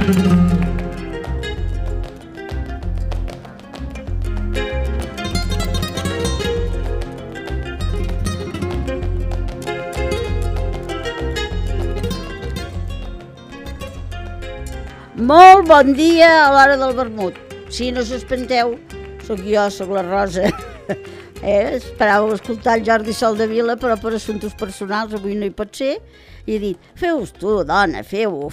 Molt bon dia a l'hora del vermut. Si no s'espanteu, sóc jo, sóc la Rosa. Esperàveu escoltar el Jordi Soldevila, però per assumptes personals avui no hi pot ser. I he dit, feu-vos tu, dona, feu-ho,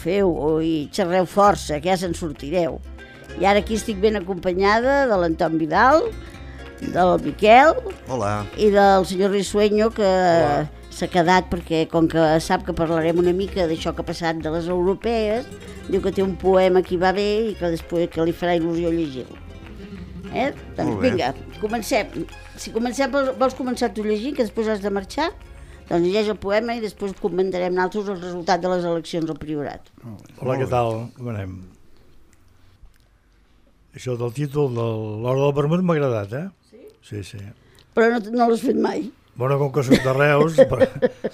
i xerreu força, que ja se'n sortireu. I ara aquí estic ben acompanyada de l'Anton Vidal, del Miquel. Hola. I del senyor Risueño, que s'ha quedat perquè, com que sap que parlarem una mica d'això que ha passat de les europees, diu que té un poema que hi va bé i que després que li farà il·lusió llegir-lo. Doncs vinga, comencem. Si comencem, vols començar tu llegint, que després has de marxar? Doncs llegeix el poema i després comentarem nosaltres el resultat de les eleccions al Priorat. Hola, què tal? Com anem? Això del títol de l'Hora del Vermut m'ha agradat, eh? Sí. Sí. Però no l'has fet mai. Bueno, com que soc de Reus...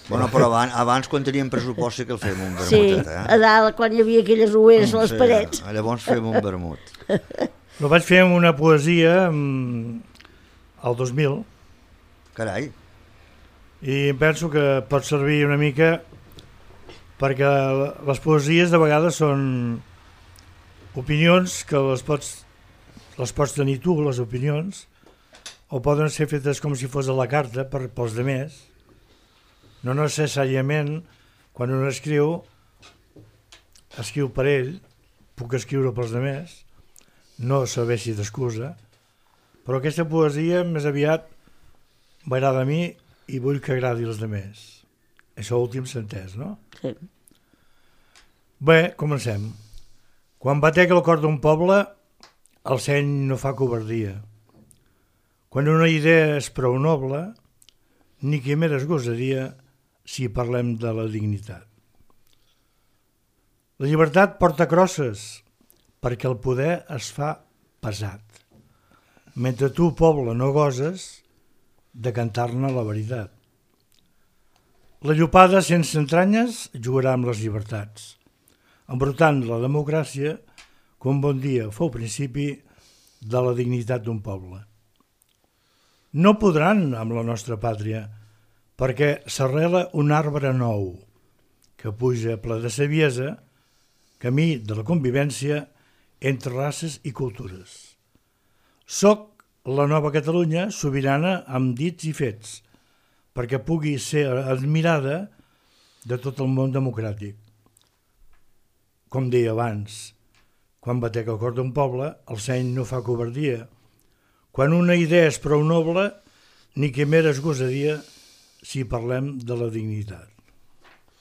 Bueno, però abans quan teníem pressupost sí que el fem un vermut. Sí, a dalt, quan hi havia aquelles rueres a les parets. Llavors fem un vermut. No vaig fer una poesia al 2000. Carai. I penso que pot servir una mica perquè les poesies de vegades són opinions que les pots tenir tu, les opinions, o poden ser fetes com si fos a la carta pels demés. No necessàriament, quan un escriu per ell, puc escriure pels demés, no serveixi d'excusa, però aquesta poesia més aviat m'agrada a mi i vull que agradi als demés. Això últim s'ha entès, no? Sí. Bé, comencem. Quan batega el cor d'un poble, el seny no fa covardia. Quan una idea és prou noble, ni quimeres gosaria si parlem de la dignitat. La llibertat porta crosses perquè el poder es fa pesat, mentre tu, poble, no goses de cantar-ne la veritat. La llopada sense entranyes jugarà amb les llibertats, embrutant la democràcia que un bon dia fou principi de la dignitat d'un poble. No podran amb la nostra pàtria, perquè s'arrela un arbre nou, que puja ple de saviesa, camí de la convivència entre races i cultures. Soc la nova Catalunya sobirana amb dits i fets, perquè pugui ser admirada de tot el món democràtic. Com deia abans, quan batega el cor d'un poble, el seny no fa covardia. Quan una idea és prou noble, ni quimeres gosaria si parlem de la dignitat.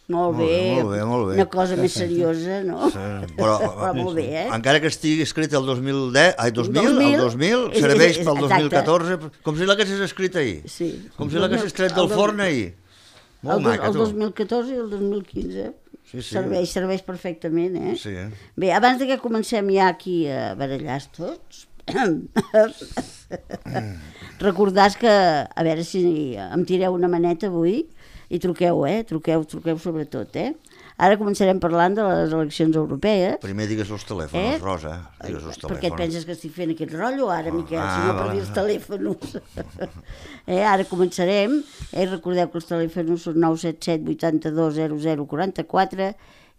Molt bé. Una cosa més seriosa, no? Sí, però molt bé, eh? Encara que estigui escrit el 2000, serveix pel 2014, com si l'haguessis escrit ahir. Sí. Com si l'haguessis tret del forn ahir. Molt maca, tu. El 2014 i el 2015. Sí. Serveix perfectament, eh? Sí. Bé, abans que comencem ja aquí a barallar tots, recordàs que, a veure si em tireu una maneta avui, i truqueu, truqueu sobretot, Ara començarem parlant de les eleccions europees. Primer digues els telèfons, Rosa. Digues els telèfons. Per què et penses que estic fent aquest rotllo ara, Miquel? Si no per dir els telèfons. Ara començarem. Recordeu que els telèfons són 977 82 00 44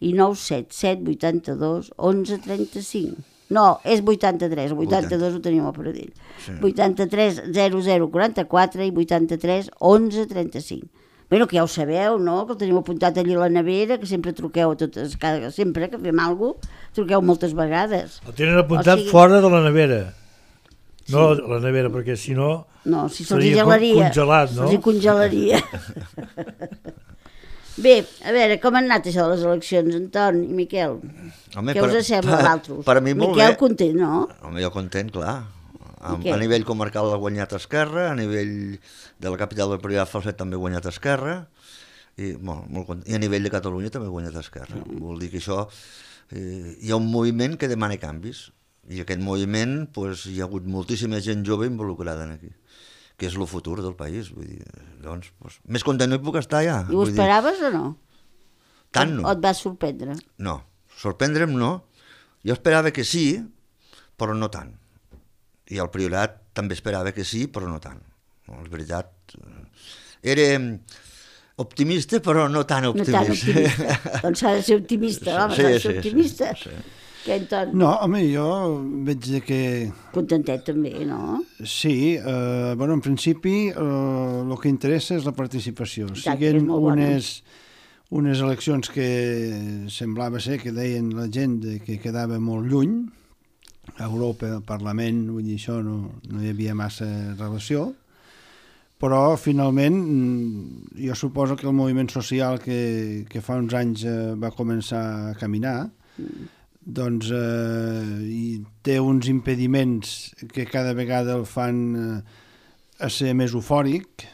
i 977 82 11 35. No, és 83, 82 ho tenim a Pradell. Sí. 83 00 44 i 83 11 35. Bueno, que ja ho sabeu, no? Que el teniu apuntat allí a la nevera, que sempre truqueu a totes, sempre que fem alguna cosa, truqueu moltes vegades. El tenen apuntat fora de la nevera. No la nevera, perquè si no... No, si se'ls gelaria. Congelat, no? Se'ls congelaria. Bé, a veure, com han anat això de les eleccions, Anton i Miquel? Home, què us sembla a l'altres? Per a mi molt Miquel bé. content, no? Home, jo content, clar. A nivell comarcal ha guanyat Esquerra, a nivell de la capital del Priorat Falset també ha guanyat Esquerra, i a nivell de Catalunya també ha guanyat Esquerra. Vol dir que això hi ha un moviment que demana canvis, i aquest moviment hi ha hagut moltíssima gent jove involucrada aquí, que és el futur del país. Vull dir, doncs, més content no hi puc estar ja. I ho esperaves o no? Tant no. O et vas sorprendre? No, sorprendre'm no, Jo esperava que sí, però no tant. I el Priorat també esperava que sí, però no tant. No, és veritat. Era optimista, però no tan optimista. No tan optimista. Doncs s'ha de ser optimista, home, s'ha de ser optimista. Sí. Que Anton... No, home, jo veig que... Contentet també, no? Sí, bueno, en principi el que interessa és la participació. Siguen unes eleccions que semblava ser que deien la gent que quedava molt lluny, a Europa, al Parlament, vull dir, això no hi havia massa relació, però finalment jo suposo que el moviment social que fa uns anys va començar a caminar, doncs té uns impediments que cada vegada el fan a ser més eufòric,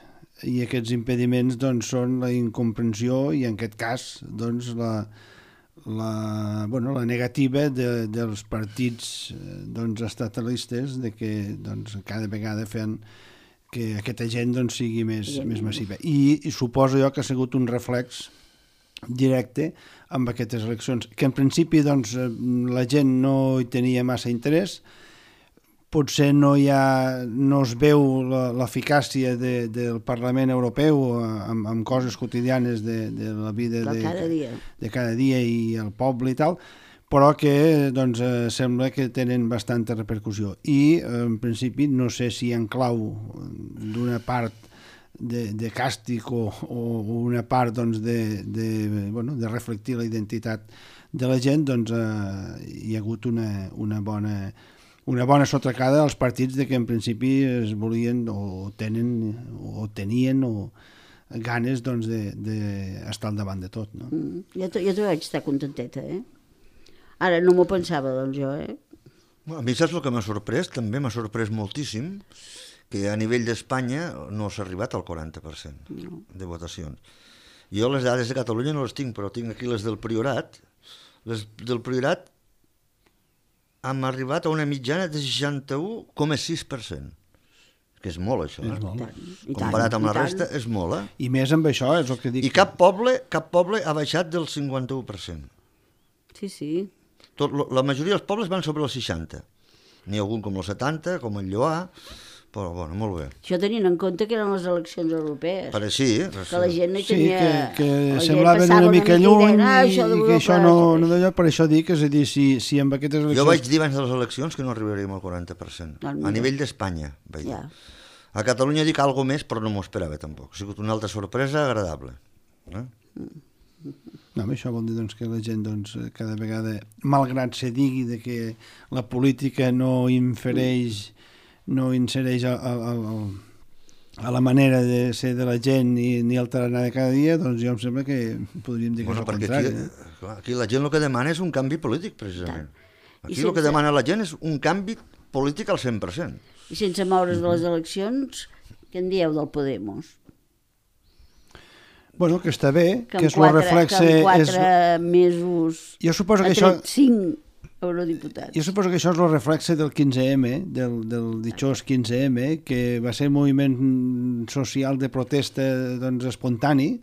i aquests impediments doncs, són la incomprensió i en aquest cas doncs, la negativa dels partits doncs, estatalistes de que doncs, cada vegada fan que aquesta gent doncs, sigui més massiva. I suposo jo que ha sigut un reflex directe amb aquestes eleccions, que en principi doncs, la gent no hi tenia massa interès, potser no es veu l'eficàcia del Parlament Europeu amb coses quotidianes de la vida de cada dia i el poble i tal, però que doncs, sembla que tenen bastanta repercussió. I en principi no sé si en clau d'una part de càstig o una part doncs, de reflectir la identitat de la gent, doncs hi ha hagut una bona sotracada als partits de que en principi es volien o tenien ganes doncs, d'estar al davant de tot. No? Jo també vaig estar contenteta, Ara no m'ho pensava, doncs, jo, A mi saps el que m'ha sorprès? També m'ha sorprès moltíssim que a nivell d'Espanya no s'ha arribat al 40% de votacions. Jo les dades de Catalunya no les tinc, però tinc aquí les del Priorat. Les del Priorat hem arribat a una mitjana de 61,6%. Que és molt, això. És molt. Comparat amb la resta, és molt, I més amb això, és el que dic. I cap poble ha baixat del 51%. Sí. La majoria dels pobles van sobre el 60%. N'hi ha algun com el 70%, com el Lloar, però, bueno, molt bé. Això tenint en compte que eren les eleccions europees. Per així, que la gent no hi tenia... Sí, que semblaven una mica lluny i que això no d'allò, per això dic, és a dir, si amb aquestes eleccions... Jo vaig dir abans de les eleccions que no arribaríem al 40%, a nivell d'Espanya, vaig dir. A Catalunya dic alguna més, però no m'ho esperava tampoc. Ha sigut una altra sorpresa agradable. No, això vol dir doncs, que la gent doncs, cada vegada, malgrat se digui de que la política no insereix a la manera de ser de la gent ni alterar nada cada dia, doncs jo em sembla que podríem dir que és el contrari. Aquí la gent el que demana és un canvi polític, precisament. Aquí el que demana la gent és un canvi polític al 100%. I sense moure's de les eleccions, què en dieu del Podemos? Bueno, que està bé, que és el reflexe... Que en 4 mesos ha tret 5 eurodiputats. Jo suposo que això és el reflexe del 15M, del ditxós 15M, que va ser un moviment social de protesta doncs, espontani,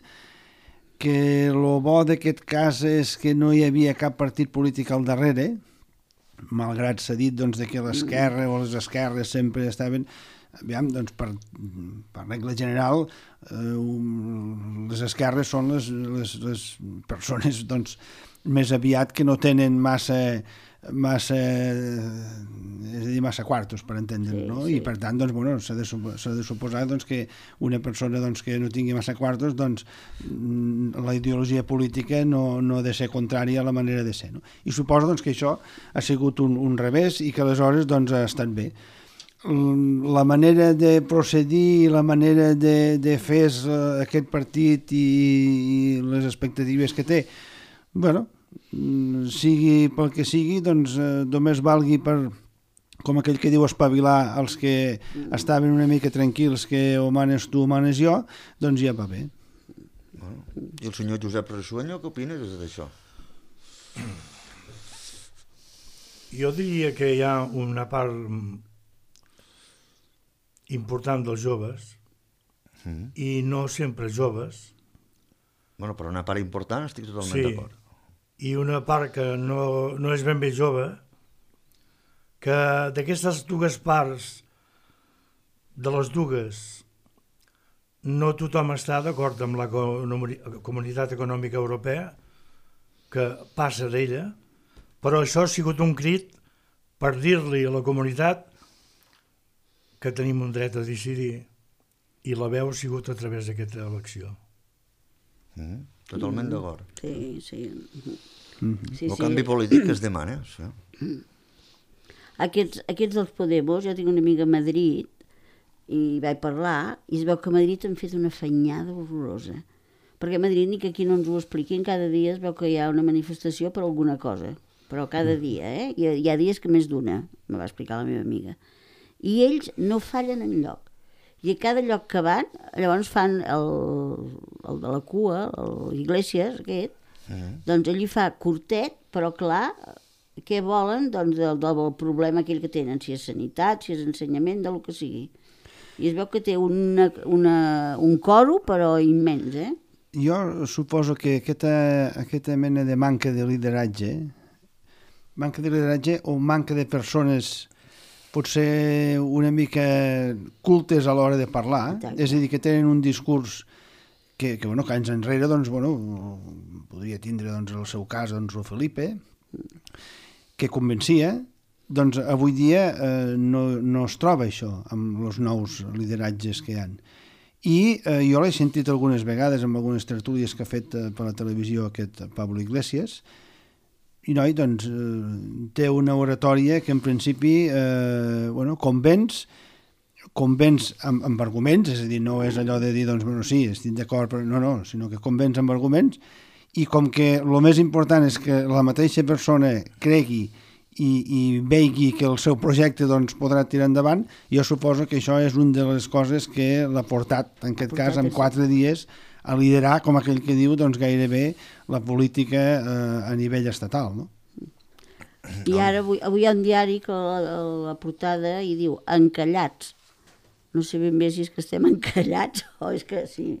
que el bo d'aquest cas és que no hi havia cap partit polític al darrere, malgrat s'ha dit doncs, que l'esquerra o les esquerres sempre estaven... Aviam, doncs, per regla general, les esquerres són les persones doncs, més aviat que no tenen massa quartos, per entendre'ns, no? I per tant, doncs, bueno, s'ha de suposar doncs, que una persona doncs, que no tingui massa quartos, doncs, la ideologia política no ha de ser contrària a la manera de ser, no? I suposo doncs, que això ha sigut un revés i que aleshores doncs, ha estat bé. La manera de procedir i la manera de fer aquest partit i les expectatives que té, bueno, sigui pel que sigui, doncs només valgui per, com aquell que diu, espavilar els que estaven una mica tranquils que o manes tu o manes jo, doncs ja va bé. I el senyor Josep Resueño, què opines d'això? Jo diria que hi ha una part important dels joves i no sempre joves. Bueno, però una part important estic totalment d'acord. i una part que no és ben bé jove, que d'aquestes dues parts, de les dues, no tothom està d'acord amb la Comunitat Econòmica Europea, que passa d'ella, però això ha sigut un crit per dir-li a la comunitat que tenim un dret a decidir, i la veu ha sigut a través d'aquesta elecció. Totalment d'acord. Sí, sí. El canvi polític que es demana. Sí. Aquests dels Podemos, jo tinc una amiga a Madrid i vaig parlar i es veu que a Madrid han fet una afanyada horrorosa, perquè a Madrid ni que aquí no ens ho expliquin, cada dia es veu que hi ha una manifestació per alguna cosa, però cada dia, hi ha dies que més d'una, me va explicar la meva amiga, i ells no fallen enlloc, i a cada lloc que van, llavors fan el de la cua, l'Iglesias aquest, doncs ell hi fa curtet, però clar, què volen? Doncs del problema aquell que tenen, si és sanitat, si és ensenyament, del que sigui. I es veu que té un coro, però immens, Jo suposo que aquesta mena de manca de lideratge o manca de persones potser una mica cultes a l'hora de parlar, és a dir, que tenen un discurs que anys enrere, podria tindre el seu cas el Felipe, que convencia, doncs avui dia no es troba això amb els nous lideratges que hi ha. I jo l'he sentit algunes vegades en algunes tertúlies que ha fet per la televisió aquest Pablo Iglesias, i noi doncs té una oratòria que en principi convenç amb arguments, és a dir, no és allò de dir sí, estic d'acord, però no, sinó que convenç amb arguments, i com que el més important és que la mateixa persona cregui i vegi que el seu projecte podrà tirar endavant, jo suposo que això és una de les coses que l'ha portat, en aquest cas, en 4 dies, a liderar, com aquell que diu, gairebé la política a nivell estatal, no? I ara avui hi ha un diari que la portada hi diu encallats. No sé ben bé si és que estem encallats o és que sí.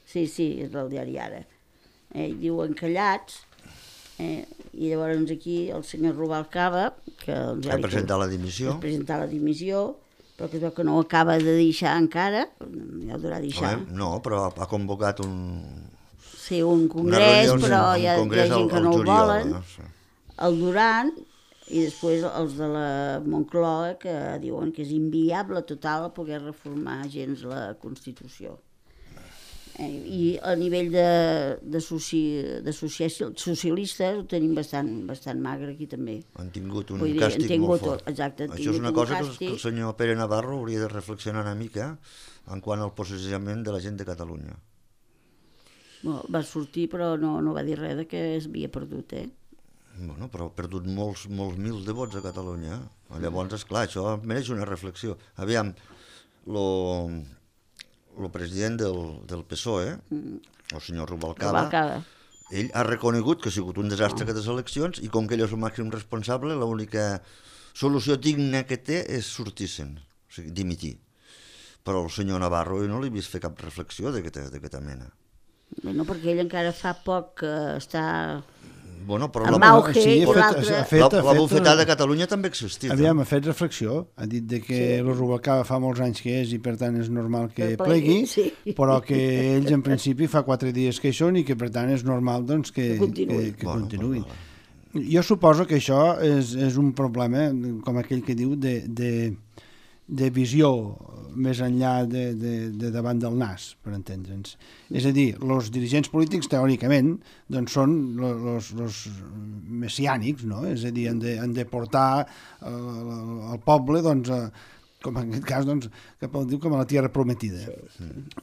Sí, és del diari Ara. Diu encallats, i llavors aquí el senyor Rubalcaba, que ha presentat la dimissió, però que es veu que no ho acaba de deixar encara, ja ho durà deixar. No, però ha convocat un congrés, però hi ha gent que no ho volen. El Duran, i després els de la Moncloa, que diuen que és inviable total poder reformar gens la Constitució. I a nivell de socialistes ho tenim bastant magre aquí també. Han tingut un càstig molt fort. Exacte. Això és una cosa que el senyor Pere Navarro hauria de reflexionar una mica en quant al posicionament de la gent de Catalunya. Va sortir però no va dir res que es havia perdut, Però ha perdut molts mils de vots a Catalunya. Llavors, esclar, això mereix una reflexió. Aviam, el president del PSOE, el senyor Rubalcaba, ell ha reconegut que ha sigut un desastre aquestes eleccions, i com que ell és el màxim responsable, l'única solució digna que té és sortir-se'n, o sigui, dimitir. Però el senyor Navarro jo no l'he vist fer cap reflexió d'aquesta mena. No, perquè ell encara fa poc que està però amb auge, i la bufetada de Catalunya també existia. Aviam, ha fet reflexió, ha dit que el Rubalcaba fa molts anys que és i per tant és normal que plegui, però que ells en principi fa 4 dies que hi són i que per tant és normal que continuïn. Jo suposo que això és un problema, com aquell que diu, de visió més enllà de davant del nas, per entendre'ns. És a dir, els dirigents polítics, teòricament, són els messiànics, no? És a dir, han de portar el poble, com en aquest cas, cap a la tierra prometida.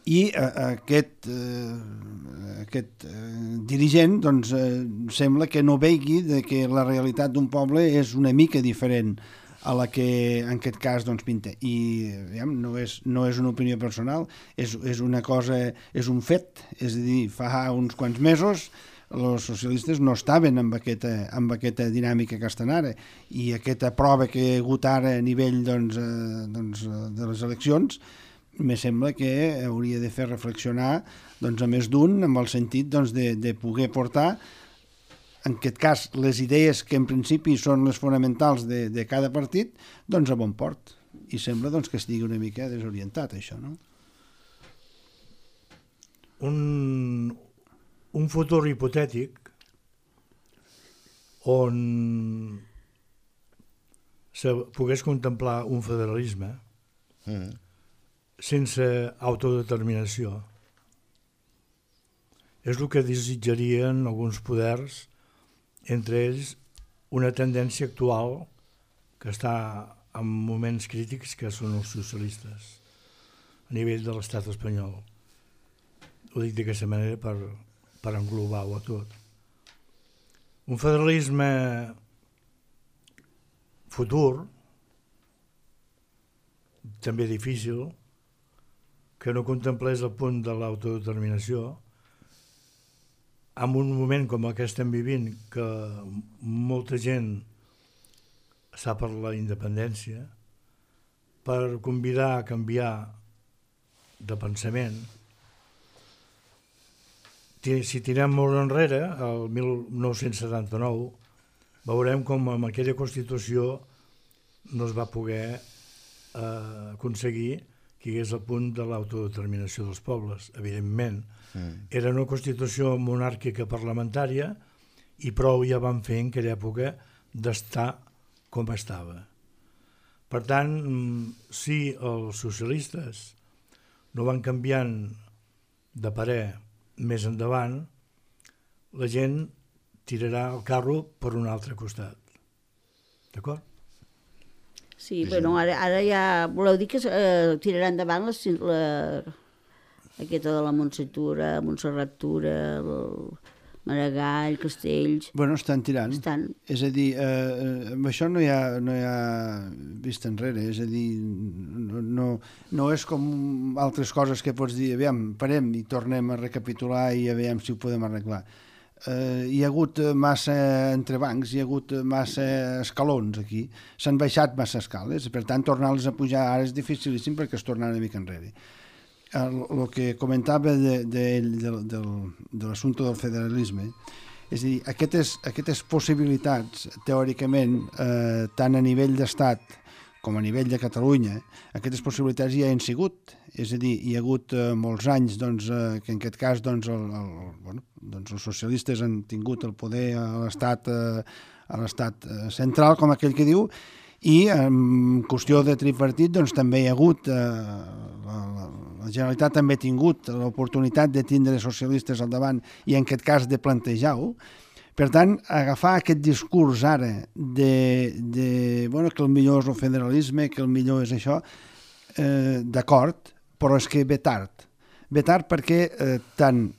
I aquest dirigent sembla que no vegi que la realitat d'un poble és una mica diferent a la que en aquest cas pinta. I no és una opinió personal, és una cosa, és un fet. És a dir, fa uns quants mesos els socialistes no estaven amb aquesta dinàmica que estan ara, i aquesta prova que hi ha hagut ara a nivell de les eleccions me sembla que hauria de fer reflexionar a més d'un, amb el sentit de poder portar en aquest cas, les idees que en principi són les fonamentals de cada partit, doncs a bon port. I sembla doncs, que estigui una mica desorientat, això, no? Un futur hipotètic on se pogués contemplar un federalisme sense autodeterminació és el que desitjarien alguns poders, entre ells una tendència actual que està en moments crítics, que són els socialistes a nivell de l'estat espanyol. Ho dic d'aquesta manera per englobar-ho a tot. Un federalisme futur, també difícil, que no contemplés el punt de l'autodeterminació, en un moment com el que estem vivint, que molta gent està per la independència, per convidar a canviar de pensament. Si tirem molt enrere, el 1979, veurem com amb aquella Constitució no es va poder aconseguir que hi hagués el punt de l'autodeterminació dels pobles. Evidentment, era una Constitució monàrquica parlamentària i prou ja van fer en aquella època d'estar com estava. Per tant, si els socialistes no van canviant de parer més endavant, la gent tirarà el carro per un altre costat. D'acord? Sí, bueno, ara ja voleu dir que tirarà endavant aquesta de la Montserrat Tura, Maragall, Castells... Bueno, estan tirant. És a dir, amb això no hi ha vista enrere, és a dir, no és com altres coses que pots dir, aviam, parem i tornem a recapitular i aviam si ho podem arreglar. Hi ha hagut massa entrebancs, hi ha hagut massa escalons aquí, s'han baixat massa escales, per tant tornar-les a pujar ara és dificilíssim perquè es torna una mica enrere. El que comentava de l'assumpte del federalisme, és a dir, aquestes possibilitats, teòricament, tant a nivell d'estat com a nivell de Catalunya, aquestes possibilitats ja han sigut. És a dir, hi ha hagut molts anys que en aquest cas els socialistes han tingut el poder a l'estat central, com aquell que diu, i en qüestió de tripartit també hi ha hagut, la Generalitat també ha tingut l'oportunitat de tindre socialistes al davant i en aquest cas de plantejar-ho. Per tant, agafar aquest discurs ara que el millor és el federalisme, que el millor és això, d'acord, però és que ve tard. Ve tard perquè tant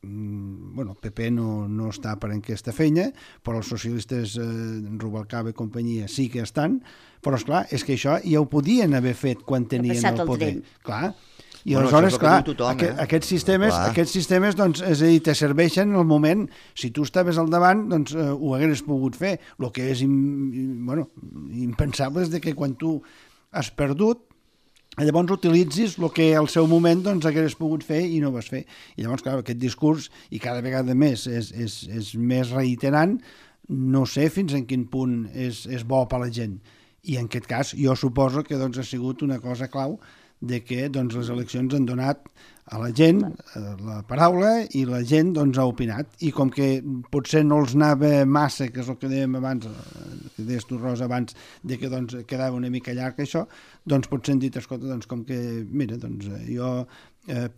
el PP no està per aquesta feina, però els socialistes, Rubalcaba i companyia, sí que estan, però esclar, és que això ja ho podien haver fet quan tenien el poder. Clar. I aleshores, clar, aquests sistemes, doncs, és a dir, te serveixen en el moment, si tu estaves al davant, doncs ho hagués pogut fer. El que és impensable és que quan tu has perdut, llavors utilitzis el que al seu moment hagués pogut fer i no vas fer. I llavors, clar, aquest discurs, i cada vegada més és més reiterant, no sé fins en quin punt és bo per a la gent. I en aquest cas jo suposo que ha sigut una cosa clau de que les eleccions han donat a la gent la paraula i la gent ha opinat. I com que potser no els anava massa, que és el que dèiem abans, que deies tu, Rosa, abans, de que quedava una mica llarg això, potser han dit, escolta, com que, mira, jo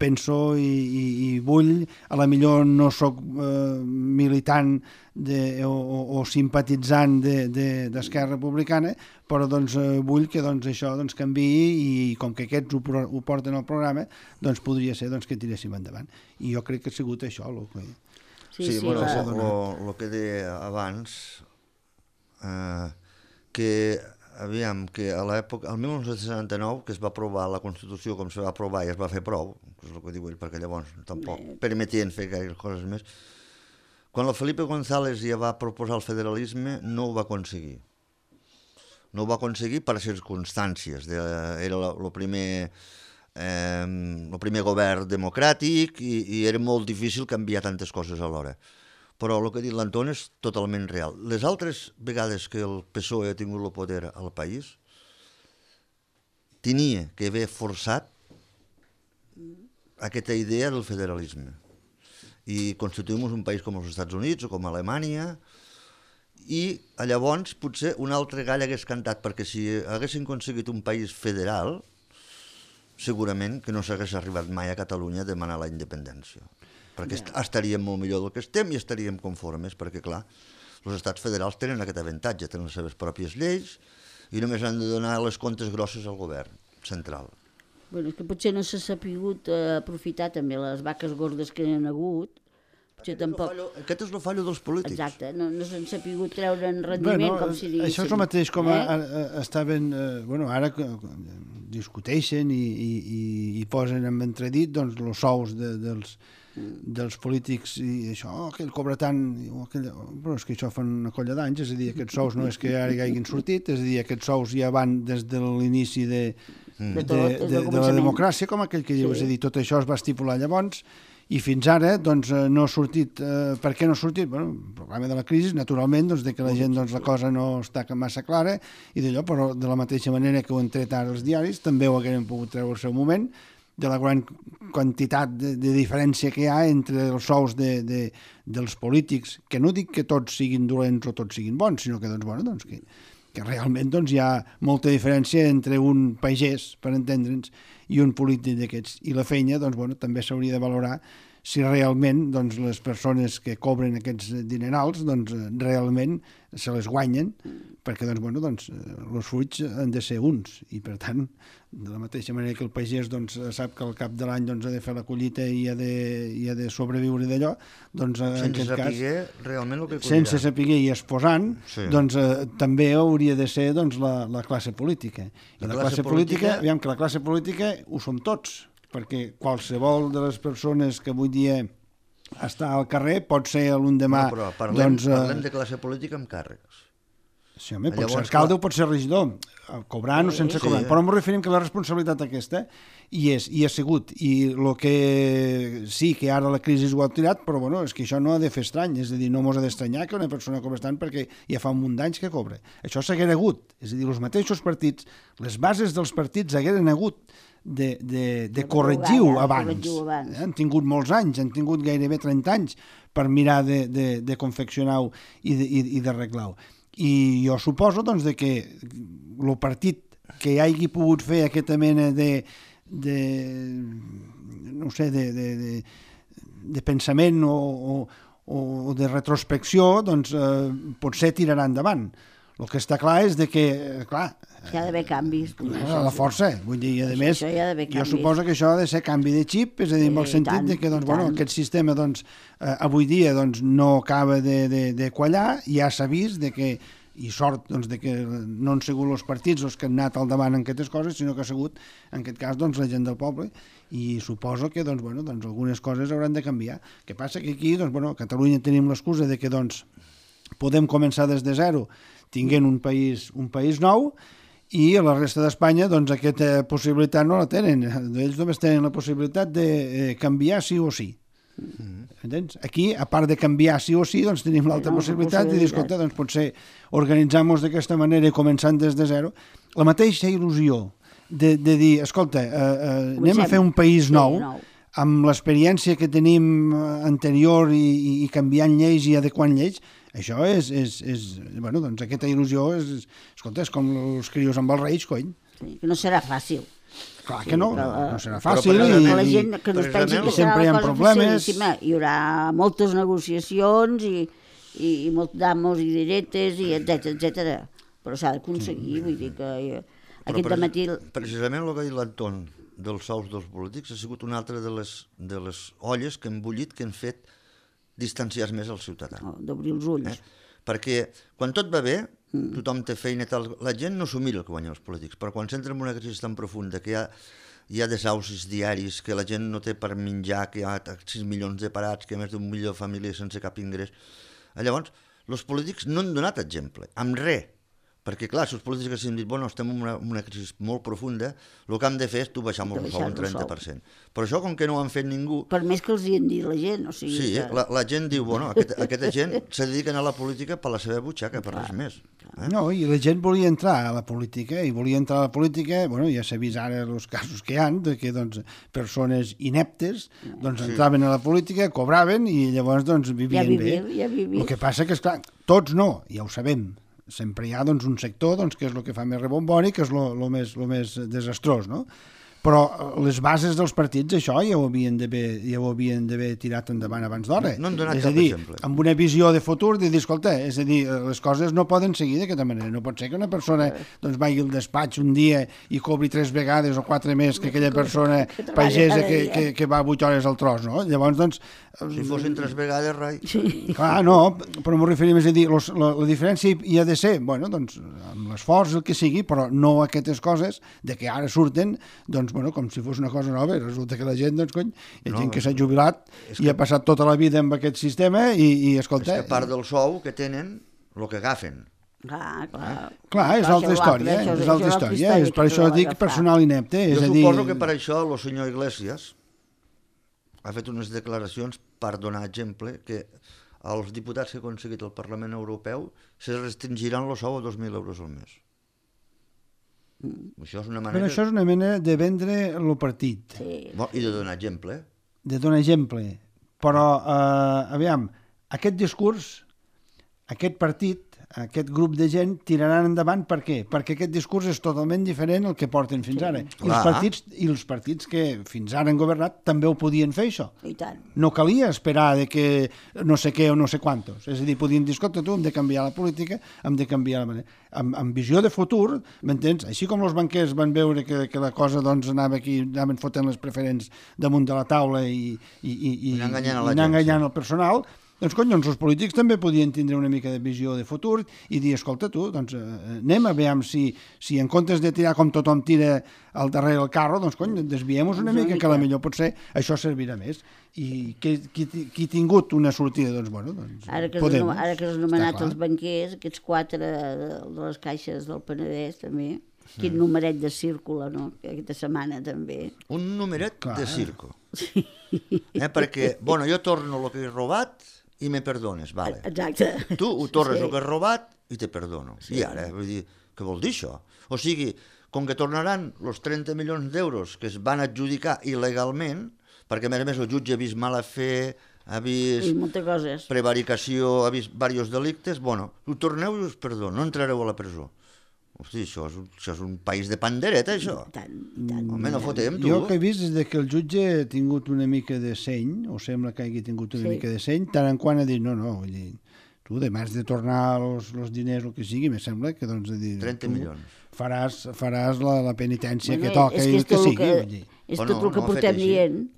penso i vull, a la millor no sóc militant o simpatitzant d'Esquerra Republicana, però vull que això canviï i com que aquests ho porten al programa, podria ser que tiréssim endavant. I jo crec que ha sigut això el que... Sí, el que deia abans, que aviam, que a l'època, el 1969, que es va aprovar la Constitució com se va aprovar i es va fer prou, que és el que diu ell, perquè llavors tampoc permetien fer gaire coses més, quan el Felipe González ja va proposar el federalisme no ho va aconseguir. No ho va aconseguir per circumstàncies. Era el primer govern democràtic i era molt difícil canviar tantes coses alhora. però el que ha dit l'Anton és totalment real. Les altres vegades que el PSOE ha tingut el poder al país, tenia que haver forçat aquesta idea del federalisme i constituïm un país com els Estats Units o com Alemanya, i llavors potser un altre gall hagués cantat, perquè si haguessin aconseguit un país federal, segurament que no s'hagués arribat mai a Catalunya a demanar la independència, perquè estaríem molt millor del que estem i estaríem conformes, perquè clar, els estats federals tenen aquest avantatge, tenen les seves pròpies lleis i només han de donar les comptes grosses al govern central. Bueno, és que potser no s'ha sapigut aprofitar també les vaques gordes que hi ha hagut. Aquest és el fallo dels polítics. Exacte, no s'han sapigut treure en rendiment, com si diguéssim. Això és el mateix com estaven... ara discuteixen i posen en entredit els sous dels polítics i això, aquell cobra tant... Però és que això fa una colla d'anys, és a dir, aquests sous no és que ara hagin sortit, és a dir, aquests sous ja van des de l'inici de la democràcia, com aquell que diu, és a dir, tot això es va estipular llavors i fins ara doncs, no ha sortit. Per què no ha sortit? Bueno, el problema de la crisi, naturalment, doncs, de que la gent la cosa no està massa clara i d'allò, però de la mateixa manera que ho han tret ara els diaris, també ho haguem pogut treure al seu moment, de la gran quantitat de diferència que hi ha entre els sous dels polítics, que no dic que tots siguin dolents o tots siguin bons, sinó que, que realment hi ha molta diferència entre un pagès, per entendre'ns, i un polític d'aquests. I la feina també s'hauria de valorar si realment les persones que cobren aquests dinerals realment se les guanyen, perquè els fruits han de ser uns, i per tant, de la mateixa manera que el pagès sap que al cap de l'any ha de fer la collita i ha de sobreviure d'allò, sense saber realment el que collirà. Sense saber i exposant, també hauria de ser la classe política. I la classe política, aviam que la classe política ho som tots, perquè qualsevol de les persones que avui dia està al carrer pot ser l'endemà... No, però parlem de classe política amb càrrecs. Sí, home, pot ser alcalde o pot ser regidor, cobrant o sense cobrant, però ens referim que la responsabilitat aquesta hi ha sigut, i el que sí que ara la crisi ho ha tirat, però és que això no ha de fer estrany, és a dir, no mos ha d'estranyar que una persona cobra tant perquè ja fa un munt d'anys que cobra. Això s'haguera hagut, és a dir, els mateixos partits, les bases dels partits hagueren hagut de corregir-ho abans. Han tingut molts anys, han tingut gairebé 30 anys per mirar de confeccionar-ho i d'arreglar-ho. I jo suposo que el partit que hagi pogut fer aquesta mena de pensament o de retrospecció, potser tirarà endavant. El que està clar és que, clar... Hi ha d'haver canvis. A la força, vull dir, a més, jo suposo que això ha de ser canvi de xip, és a dir, en el sentit que aquest sistema avui dia no acaba de quallar, ja s'ha vist que, i sort de que no han sigut els partits els que han anat al davant en aquestes coses, sinó que ha sigut, en aquest cas, la gent del poble, i suposo que algunes coses hauran de canviar. El que passa que aquí, a Catalunya tenim l'excusa de que podem començar des de zero, tinguent un país nou, i a la resta d'Espanya aquesta possibilitat no la tenen. Ells només tenen la possibilitat de canviar sí o sí. Entens? Aquí, a part de canviar sí o sí, tenim l'altra possibilitat de dir, escolta, potser organitzar-nos d'aquesta manera i començant des de zero. La mateixa il·lusió de dir, escolta, anem a fer un país nou, amb l'experiència que tenim anterior i canviant lleis i adequant lleis, això és aquesta il·lusió és com els crios amb els reis, cony. Sí, que no serà fàcil. Clar que no serà fàcil. Que la gent que no es pensi que serà una cosa facilíssima. Hi haurà moltes negociacions i molt d'amos i diretes, i etcètera. Però s'ha d'aconseguir, vull dir que aquest dematí... Precisament el que ha dit l'Anton dels sous dels polítics ha sigut una altra de les olles que han bullit, que han fet distanciar més el ciutadà. D'obrir els ulls. Perquè quan tot va bé, tothom té feina i tal, la gent no s'ho mira el que guanyen els polítics, però quan s'entra en una crisi tan profunda que hi ha desaucis diaris, que la gent no té per menjar, que hi ha 6 milions de parats, que hi ha més d'un milió de famílies sense cap ingrés, llavors els polítics no han donat exemple, amb res. Perquè, clar, si els polítics han dit, bueno, estem en una crisi molt profunda, el que hem de fer és tu baixar-nos el sou un 30%. Però això, com que no ho han fet ningú... Per més que els hi han dit la gent, o sigui... Sí, que... la gent diu, bueno, aquesta gent se dediquen a la política per la seva butxaca, per res més. No, i la gent volia entrar a la política, bueno, ja s'ha vist ara els casos que hi ha, que doncs, persones ineptes doncs, entraven a la política, cobraven i llavors doncs, vivien bé. El que passa que, esclar, tots no, ja ho sabem. Sempre hi ha doncs, un sector doncs, que és el que fa més rebombori, que és el més desastrós, no? Però les bases dels partits, això ja ho havien d'haver tirat endavant abans d'hora. No han donat cap exemple. Amb una visió de futur, de dir, escolta, és a dir, les coses no poden seguir d'aquesta manera. No pot ser que una persona doncs, vagi al despatx un dia i cobri 3 vegades o 4 més que aquella persona pagesa que va 8 hores al tros, no? Llavors, doncs... Si fossin 3 vegades, rai. Clar, no, però m'ho referim, és a dir, la diferència hi ha de ser, bueno, doncs, amb l'esforç, el que sigui, però no aquestes coses de que ara surten, doncs, bueno, com si fos una cosa nova, resulta que la gent, doncs, cony, hi ha gent que s'ha jubilat i ha passat tota la vida amb aquest sistema i escolta... És que part del sou que tenen, el que agafen. Clar, és altra història, és per això dic personal inepte. Jo suposo que per això el senyor Iglesias ha fet unes declaracions per donar exemple que els diputats que ha aconseguit el Parlament Europeu se restringiran el sou a 2.000 euros al mes. Això és una manera... Però això és una mena de vendre el partit. Sí. I de donar exemple. De donar exemple. Però, aviam, aquest discurs, aquest partit, aquest grup de gent tiraran endavant per què? Perquè aquest discurs és totalment diferent al que porten fins ara. I els partits que fins ara han governat també ho podien fer, això. I tant. No calia esperar de que no sé què o no sé quantos. És a dir, podien dir, escolta, tu, hem de canviar la política, hem de canviar la manera. Amb visió de futur, m'entens? Així com els banquers van veure que la cosa doncs, anaven fotent les preferents damunt de la taula i anar enganyant el personal, doncs, els polítics també podien tindre una mica de visió de futur i dir, escolta, tu, doncs, anem a veure si en comptes de tirar com tothom tira al darrere del carro, doncs, desviem-nos una mica, que potser això servirà més. I qui ha tingut una sortida, doncs, bueno, doncs ara que has anomenat els banquers, aquests 4 de les caixes del Penedès, també, quin numeret de círculo, no? Aquesta setmana, també. Un numeret de círculo. Sí. Perquè, bueno, jo torno el que he robat i me perdones, vale. Exacte. Tu ho tornes el que has robat i te perdono. I ara, vull dir, què vol dir això? O sigui, com que tornaran els 30 milions d'euros que es van adjudicar il·legalment, perquè a més el jutge ha vist mala fe, ha vist prevaricació, ha vist diversos delictes, bueno, ho torneu i us perdono, no entrareu a la presó. Hosti, això és un país de pandereta, això. Tant. Home, no fotem, tu. Jo el que he vist és que el jutge ha tingut una mica de seny, o sembla que hagi tingut una mica de seny, tant en quant ha dit, no, vull dir, tu, demà has de tornar els diners, el que sigui, me sembla que, doncs, 30 milions. Faràs la penitència que toca i el que sigui. És tot el que portem dient.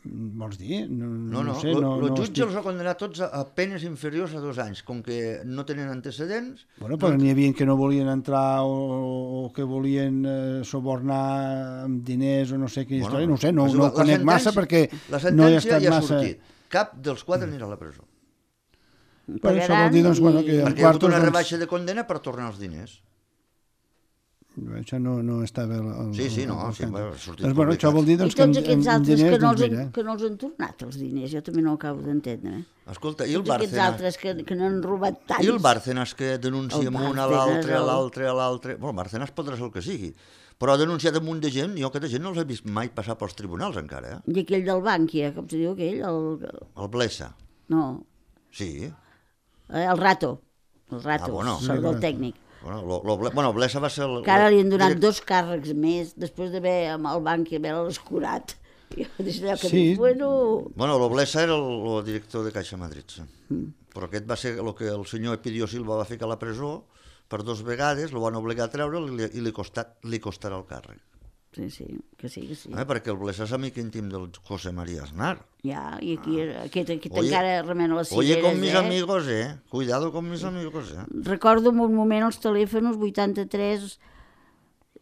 Vols dir? No. El jutge els ha condenat tots a penes inferiors a 2 anys, com que no tenen antecedents... Bueno, però n'hi havia que no volien entrar o que volien subornar amb diners o no sé quina història, no sé, no ho conec massa perquè no he estat massa... La sentència ja ha sortit. Cap dels 4 anirà a la presó. Per això vol dir, doncs, bueno, que... Perquè hi ha hagut una rebaixa de condena per tornar els diners. Això no estava... Sí, no, va sortir doncs, bueno, això vol dir doncs, que tots aquests altres que no els han tornat els diners, jo també no ho acabo d'entendre. Escolta, i el Bárcenas? Aquests altres que n'han robat tants. I el Bárcenas que denuncia un a l'altre, a l'altre... Bueno, el Bárcenas podrà ser el que sigui, però ha denunciat un munt de gent, jo aquesta gent no els he vist mai passar pels tribunals encara. I aquell del Bànquia, com se diu aquell? El Blesa. No. Sí. El Rato, del tècnic. Bueno, Blesa va ser... Que ara li han donat 2 càrrecs més, després d'haver amb el Bànquia haver-lo escurat. Bueno, el Blesa era el director de Caixa Madrid, però aquest va ser el que el senyor Epidio Silva va ficar a la presó per 2 vegades, el van obligar a treure'l i li costarà el càrrec. Sí, que sí. Perquè el Blesa és amic íntim del José María Aznar. Ja, i aquí aquest encara remena les cireres, Oye, con mis amigos, Cuidado con mis amigos, Recordo en un moment els telèfons 83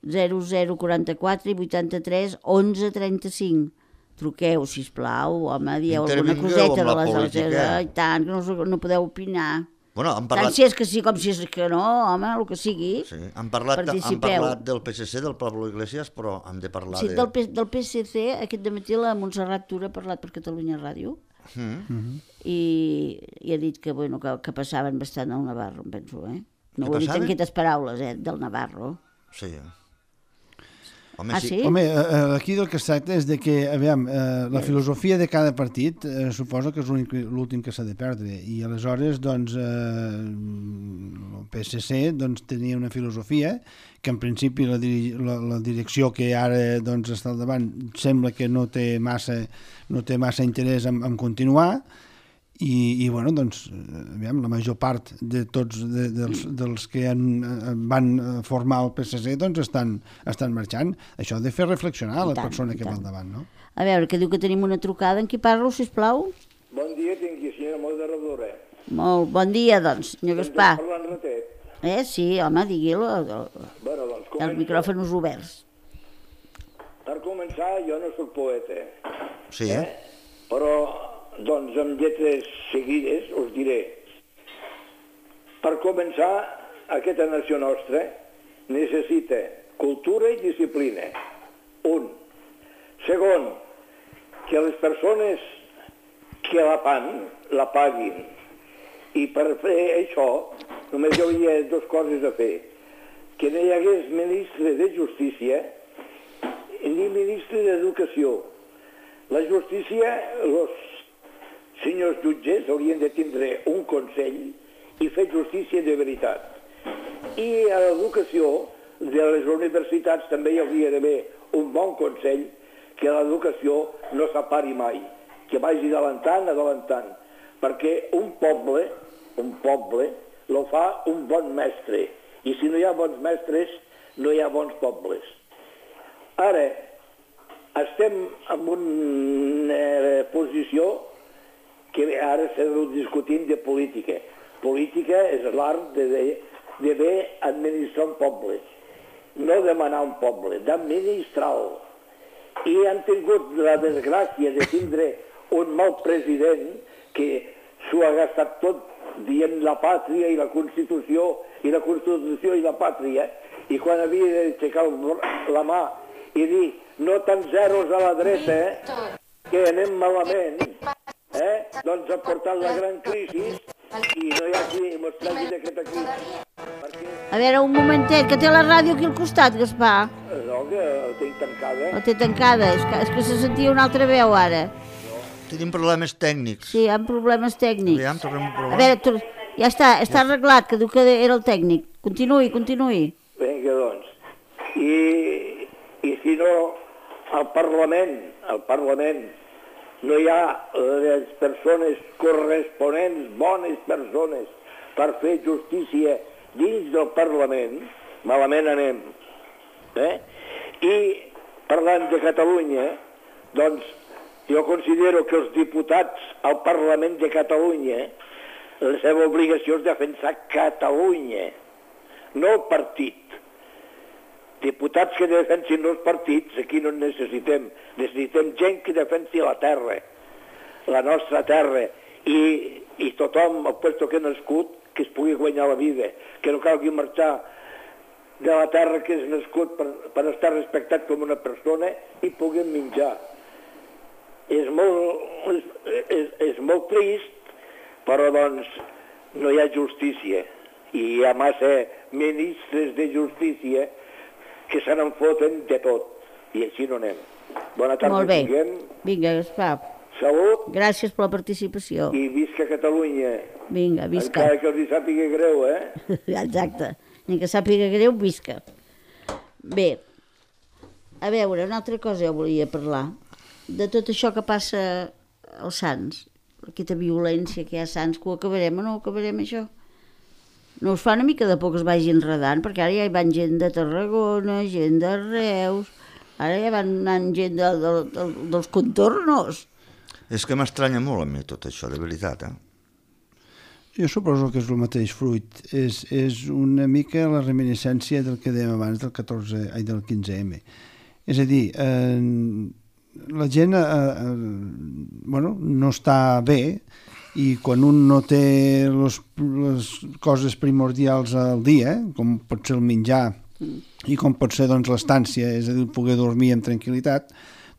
0044 i 83 11 35. Truqueu, sisplau, home, dieu alguna coseta de les altres. I tant, que no podeu opinar. Bueno, han Tant parlat... si és que sí com si és que no, home, el que sigui. Sí, han parlat del PSC, del Pablo Iglesias, però hem de parlar Sí, de... del PSC, aquest dematí la Montserrat Tura ha parlat per Catalunya Ràdio i ha dit que, bueno, que passaven bastant al Navarro, em penso, eh? No ho he dit en aquestes paraules, del Navarro. Sí. Home, sí? Home, aquí del que es tracta és de que, aviam, la filosofia de cada partit suposo que és l'últim que s'ha de perdre, i aleshores, doncs, el PSC doncs, tenia una filosofia que en principi la direcció que ara doncs, està al davant sembla que no té massa interès en continuar, i bueno, doncs, aviam, la major part de tots dels que van formar el PSC doncs estan marxant. Això ha de fer reflexionar la persona que va al davant, no? A veure, que diu que tenim una trucada. En qui parlo, sisplau? Bon dia, tingui, senyora moderadora. Molt bon dia, doncs, senyor Gaspar. Parlant ratet. Sí, home, digui-lo. Bueno, doncs, Els micròfons oberts. Per començar, jo no soc poeta. Sí, Però, doncs, amb lletres seguides us diré. Per començar, aquesta nació nostra necessita cultura i disciplina. Un. Segon, que les persones que la paguin. I per fer això, només hi hauria dues coses a fer. Que no hi hagués ministre de Justícia ni ministre d'Educació. La justícia, els senyors jutges haurien de tindre un consell i fer justícia de veritat. I a l'educació de les universitats també hi hauria d'haver un bon consell, que l'educació no s'apari mai, que vagi adelantant, perquè un poble lo fa un bon mestre, i si no hi ha bons mestres no hi ha bons pobles. Ara, estem en una posició que ara s'ha discutint de política. Política és l'art de bé administrar un poble, no demanar un poble, d'administrar-lo. I han tingut la desgràcia de tindre un mal president que s'ho ha gastat tot dient la pàtria i la Constitució i la pàtria, i quan havia d'aixecar la mà i dir no tant zeros a la dreta, que anem malament, doncs ha portat la gran crisi i no hi ha qui mos tregui d'aquesta crisi. A veure, un momentet, que té la ràdio aquí al costat, Gaspar. No, que la tinc tancada. La té tancada, és que se sentia una altra veu ara. tenim problemes tècnics. Sí, hi ha problemes tècnics. Aviam, tornem a provar. A veure, ja està arreglat, que diu que era el tècnic. Continuï. Vinga, doncs. I si no, al Parlament, no hi ha les persones corresponents, bones persones, per fer justícia dins del Parlament, malament anem. I parlant de Catalunya, doncs jo considero que els diputats al Parlament de Catalunya, la seva obligació és defensar Catalunya, no el partit. Diputats que defensin els partits, aquí no en necessitem. Necessitem gent que defensi la terra, la nostra terra, i tothom, al puesto que ha nascut, que es pugui guanyar la vida, que no calgui marxar de la terra que és nascut per estar respectat com una persona i puguem menjar. És molt trist, però doncs no hi ha justícia, i hi ha massa ministres de justícia que se n'enfoten de tot, i així no anem. Bona tarda. Molt bé. Tinguem. Vinga, Gaspar. Salut. Gràcies per la participació. I visca Catalunya. Vinga, visca. Encara que els hi sàpiga greu, Exacte. Ni que sàpiga greu, visca. Bé, a veure, una altra cosa jo volia parlar. De tot això que passa als Sants, aquesta violència que hi ha a Sants, que ho acabarem o no ho acabarem, això? No us fa una mica de por que es vagi enredant? Perquè ara ja hi van gent de Tarragona, gent de Reus, ara ja van anant gent dels contornos. És que m'estranya molt a mi tot això, de veritat, Jo suposo que és el mateix fruit. És una mica la reminiscència del que dèiem abans del 15M. És a dir, la gent no està bé i quan un no té les coses primordials al dia, com pot ser el menjar i com pot ser doncs, l'estància, és a dir, poder dormir amb tranquil·litat,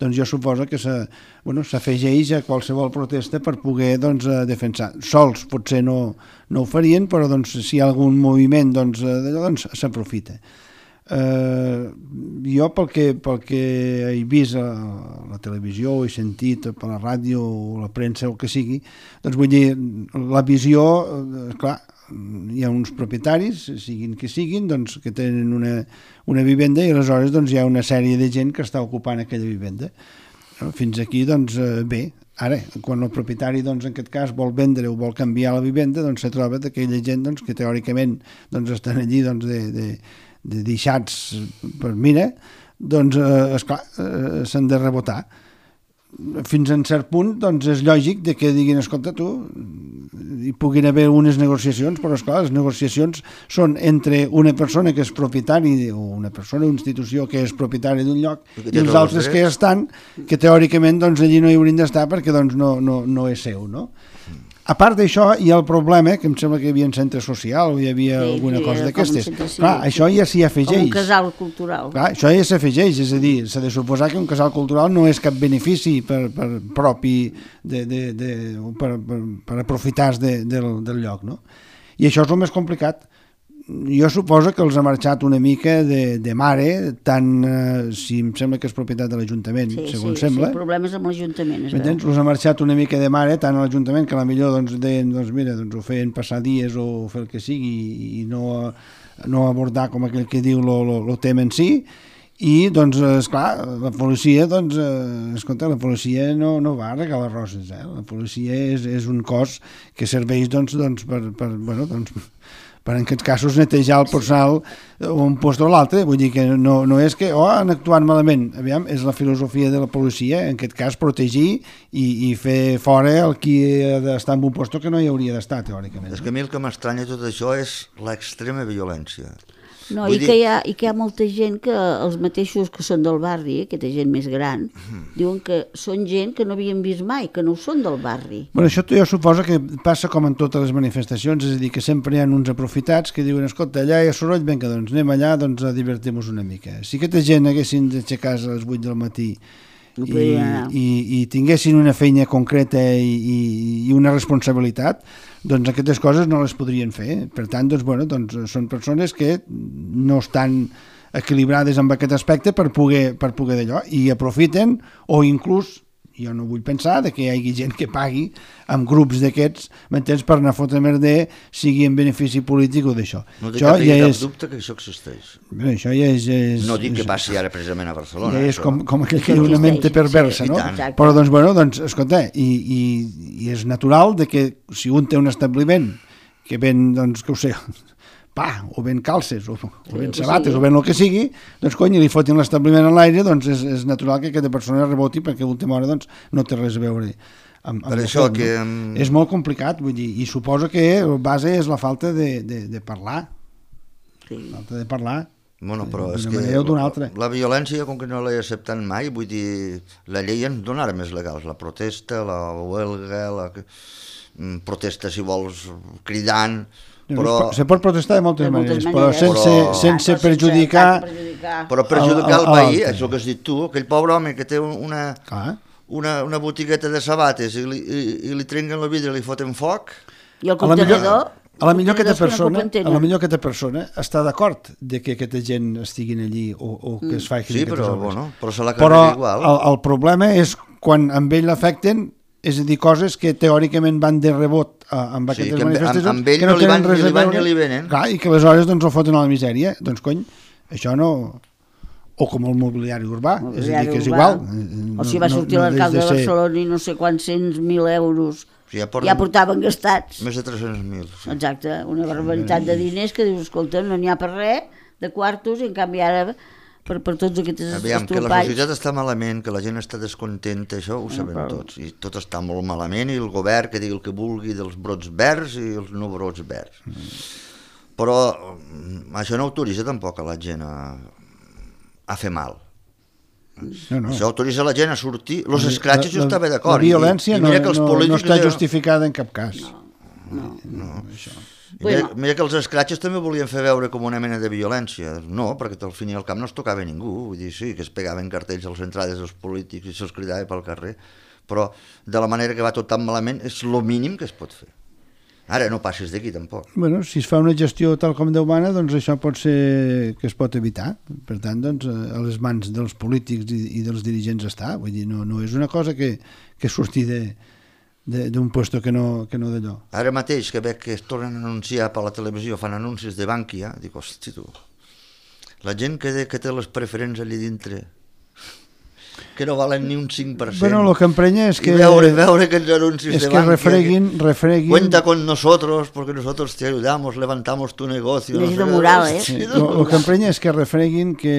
doncs jo suposo que s'afegeix a qualsevol protesta per poder doncs, defensar. Sols potser no ho farien, però doncs, si hi ha algun moviment doncs, doncs s'aprofita. Jo pel que he vist a la televisió, he sentit per la ràdio o la premsa o el que sigui, doncs vull dir, la visió, clar, hi ha uns propietaris, siguin que siguin, doncs, que tenen una vivenda i aleshores doncs, hi ha una sèrie de gent que està ocupant aquella vivenda. Fins aquí, doncs, bé. Ara, quan el propietari, doncs, en aquest cas, vol vendre o vol canviar la vivenda, doncs, se troba d'aquella gent doncs, que teòricament doncs, estan allí doncs, de deixats per mira, doncs, esclar, s'han de rebotar. Fins a un cert punt, doncs, és lògic de que diguin, escolta, tu, hi puguin haver unes negociacions, però, esclar, les negociacions són entre una persona que és propietari, o una persona, una institució que és propietari d'un lloc, i els altres que estan, que teòricament, doncs, allí no hi haurien d'estar perquè, doncs, no és seu, no? A part d'això, hi ha el problema, que em sembla que hi havia un centre social o hi havia alguna cosa d'aquestes. Clar, això ja s'hi afegeix. Com un casal cultural. Clar, això ja s'afegeix, és a dir, s'ha de suposar que un casal cultural no és cap benefici propi per aprofitar del lloc, no? I això és el més complicat. Jo suposo que els ha marxat una mica de mare, tant si em sembla que és propietat de l'Ajuntament, segons sembla. Sí, problemes amb l'Ajuntament. M'entens? Els ha marxat una mica de mare, tant a l'Ajuntament que potser doncs, deien, doncs mira, doncs ho feien passar dies o fer el que sigui i no abordar com aquell que diu el tema en si. I, doncs, esclar, la policia, doncs, escolta, la policia no va a regalar roses, La policia és un cos que serveix, doncs per en aquests casos netejar el personal un lloc o l'altre, vull dir que no és que han actuat malament, aviam, és la filosofia de la policia, en aquest cas protegir i fer fora el qui ha d'estar en un lloc que no hi hauria d'estar, teòricament. És que a mi el que m'estranya tot això és l'extrema violència. No, i que hi ha molta gent que els mateixos que són del barri, aquesta gent més gran, diuen que són gent que no havien vist mai, que no són del barri. Bueno, això jo suposo que passa com en totes les manifestacions, és a dir, que sempre hi ha uns aprofitats que diuen, escolta, allà hi ha soroll, vinga, doncs anem allà, doncs a divertir-nos una mica. Si aquesta gent haguessin d'aixecar a les 8 del matí i tinguessin una feina concreta i una responsabilitat, doncs aquestes coses no les podrien fer. Per tant, doncs, són persones que no estan equilibrades amb aquest aspecte per poder d'allò, i aprofiten, o inclús, jo no vull pensar que hi hagi gent que pagui amb grups d'aquests, m'entens, per anar a fotre merder, sigui en benefici polític o d'això. No té cap dubte que això existeix. Bé, això ja és... No dic que passi ara precisament a Barcelona. Ja és com aquell que diu una mente perversa, no? Però, doncs, escolta, i és natural que si un té un establiment que ven, doncs, que ho sé, pa, o ben calces, o ben sabates, o ben el que sigui, doncs cony, li fotin l'establiment a l'aire, doncs és natural que aquesta persona reboti perquè a última hora doncs, no té res a veure amb per això tot, que... No? És molt complicat, vull dir, i suposo que la base és la falta de parlar. Sí. La falta de parlar. Bueno, però és que la violència, com que no l'he acceptat mai, vull dir, la llei ens dona armes legals, la protesta, la huelga, la protesta, si vols, cridant... Però... Se pot protestar de moltes maneres, però sense perjudicar... Però perjudicar el veí, és el que has dit tu, aquell pobre home que té una botigueta de sabates i li trenquen la vidre i li foten foc... I el contenidor... A la millor aquesta persona està d'acord de que aquesta gent estiguin allí o que es faci aquestes obres. Però se la carrega igual. El problema és quan amb ell l'afecten, és a dir, coses que teòricament van de rebot amb aquestes manifestacions, amb ell que no tenen res a veure, ni li venen. Clar, i que aleshores doncs, el foten a la misèria. Doncs, cony, això no... O com el mobiliari urbà, és a dir, que és igual. O si va sortir l'alcalde de Barcelona i no sé quants 100.000 euros ja portaven gastats. Més de 300.000. Sí. Exacte, una barbaritat de diners que dius, escolta, no n'hi ha per res, de quartos, i en canvi ara... per tots aquests estropalls. Aviam, que la societat està malament, que la gent està descontenta, això ho sabem tots, i tot està molt malament, i el govern que digui el que vulgui dels brots verds i els no brots verds. Però això no autoritza tampoc a la gent a fer mal. Això autoritza la gent a sortir. Els escratxos jo estava d'acord. La violència no està justificada en cap cas. No. Mira que els escratxos també volien fer veure com una mena de violència. No, perquè al fin i al cap no es tocava ningú. Vull dir, sí, que es pegaven cartells a les entrades dels polítics i se'ls cridava pel carrer, però de la manera que va tot tan malament és el mínim que es pot fer. Ara no passis d'aquí tampoc. Bueno, si es fa una gestió tal com Déu mana, doncs això pot ser que es pot evitar. Per tant, doncs, a les mans dels polítics i dels dirigents està. Vull dir, no és una cosa que surti d'un puesto que no d'allò. Ara mateix que veig que es tornen a anunciar per la televisió, fan anuncis de Bankia, dic, hosti tu, la gent que té les preferents allà dintre, que no valen ni un 5%. Bueno, el que emprenya és que... I veure aquests anuncis de Bankia. És que refreguin... Cuenta con nosotros, porque nosotros te ayudamos, levantamos tu negocio. És de moral, Sí, el que emprenya és que refreguin que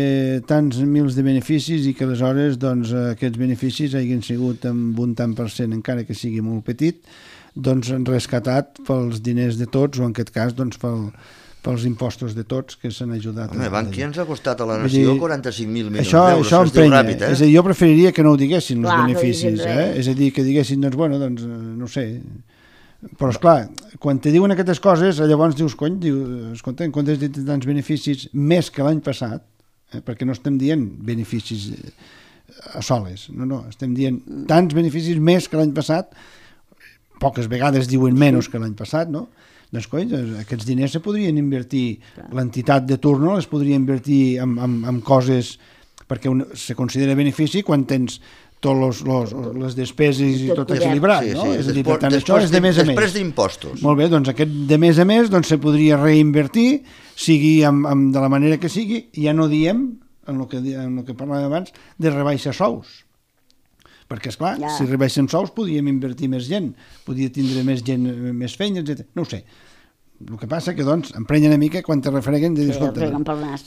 tants mils de beneficis i que aleshores doncs, aquests beneficis hagin sigut amb un tant per cent, encara que sigui molt petit, doncs rescatat pels diners de tots, o en aquest cas doncs, pels impostos de tots que s'han ajudat. Home, Bankia ens ha costat a la nació 45.000 milions d'euros. Això emprenya. Ràpid, És a dir, jo preferiria que no ho diguessin, els beneficis. És a dir, que diguessin, doncs, bueno, doncs, no sé. Però, esclar, quan te diuen aquestes coses, llavors dius, cony, escolta, en comptes de tants beneficis més que l'any passat, perquè no estem dient beneficis a soles, no, estem dient tants beneficis més que l'any passat, poques vegades diuen menys que l'any passat, no? Doncs, coi, aquests diners se podrien invertir, l'entitat de turno les podria invertir en coses, perquè se considera benefici quan tens totes les despeses i tot equilibrat, no? És a dir, per tant, això és de més a més. Després d'impostos. Molt bé, doncs aquest de més a més se podria reinvertir, sigui de la manera que sigui, i ja no diem, en el que parlàvem abans, de rebaixar sous. Perquè, esclar, si rebaixem sous podríem invertir més gent, podria tindre més gent, més feina, etc. No ho sé. El que passa que, doncs, emprenya una mica quan te refreguen de dir, escolta,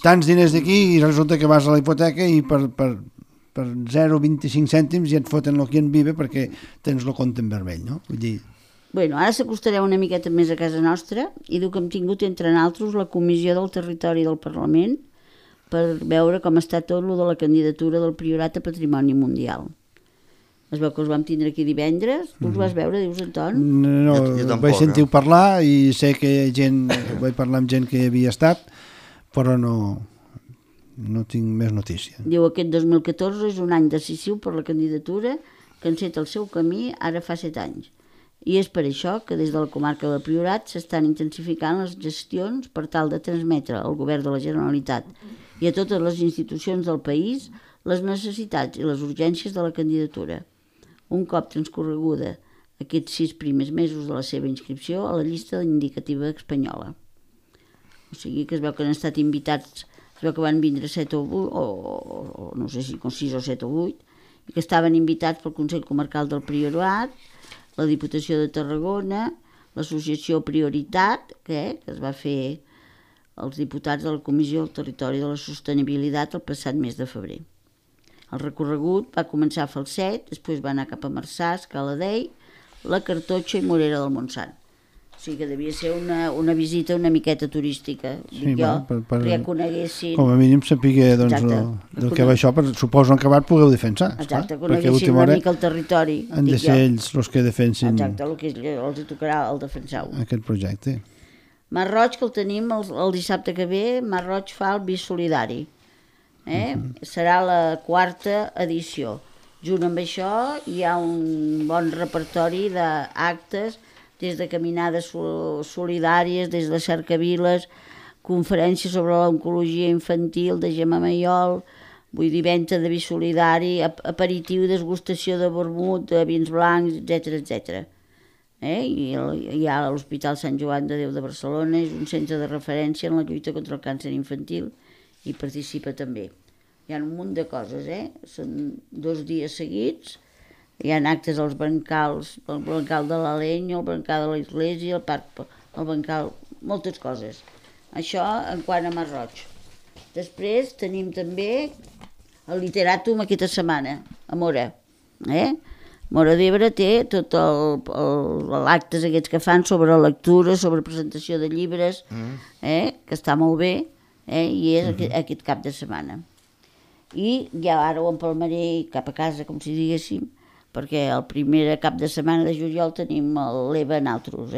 tants diners d'aquí i resulta que vas a la hipoteca i per 0,25 cèntims ja et foten el que en vive perquè tens el compte en vermell, no? Vull dir... Bueno, ara s'acostareu una miqueta més a casa nostra i diu que hem tingut, entre altres, la Comissió del Territori del Parlament per veure com està tot lo de la candidatura del Priorat a Patrimoni Mundial. Es veu que els vam tindre aquí divendres. Tu els vas veure, dius, Anton? No, vaig sentir parlar i sé que vaig parlar amb gent que hi havia estat, però no tinc més notícia. Diu, aquest 2014 és un any decisiu per la candidatura que enceta el seu camí ara fa 7 anys. I és per això que des de la comarca del Priorat s'estan intensificant les gestions per tal de transmetre al govern de la Generalitat i a totes les institucions del país les necessitats i les urgències de la candidatura. Un cop transcorreguda aquests 6 primers mesos de la seva inscripció a la llista indicativa espanyola. O sigui que es veu que han estat invitats, es veu que van vindre 7 o 8, o no sé si 6 o 7 o 8, i que estaven invitats pel Consell Comarcal del Priorat, la Diputació de Tarragona, l'associació Prioritat, que es va fer els diputats de la Comissió del Territori de la Sostenibilitat el passat mes de febrer. El recorregut va començar a Falset, després va anar cap a Marçà, Escaladei, la Cartotxa i Morera del Montsant. O sigui que devia ser una visita una miqueta turística. Sí, dic jo, perquè ja coneguessin... Com a mínim sapigué del que va això, suposo en acabat pugueu defensar. Exacte, coneguessin una mica el territori. Han de ser ells els que defensin... Exacte, el que els tocarà el defensar-ho. Aquest projecte. Mar Roig, que el tenim el dissabte que ve, Mar Roig fa el Bisolidari. Serà la 4ª edició. Junt amb això hi ha un bon repertori d'actes, des de caminades solidàries, des de cercaviles, conferències sobre l'oncologia infantil de Gemma Maiol, vull dir, venda de vi solidari, aperitiu, degustació de vermut, de vins blancs, etc. I hi ha l'Hospital Sant Joan de Déu de Barcelona, és un centre de referència en la lluita contra el càncer infantil, i participa també. Hi ha un munt de coses, Són 2 dies seguits, hi ha actes als brancals, el brancal de l'Aleny, el brancal de l'Església, el brancal, moltes coses. Això en quant a Mar Roig. Després tenim també el Literatум aquesta setmana, a Móra. Móra d'Ebre té tot l'actes aquests que fan sobre lectura, sobre presentació de llibres, que està molt bé, i és aquest cap de setmana. I ja ara ho empalmaré cap a casa, com si diguéssim, perquè el primer cap de setmana de juliol tenim l'Eva Nautros,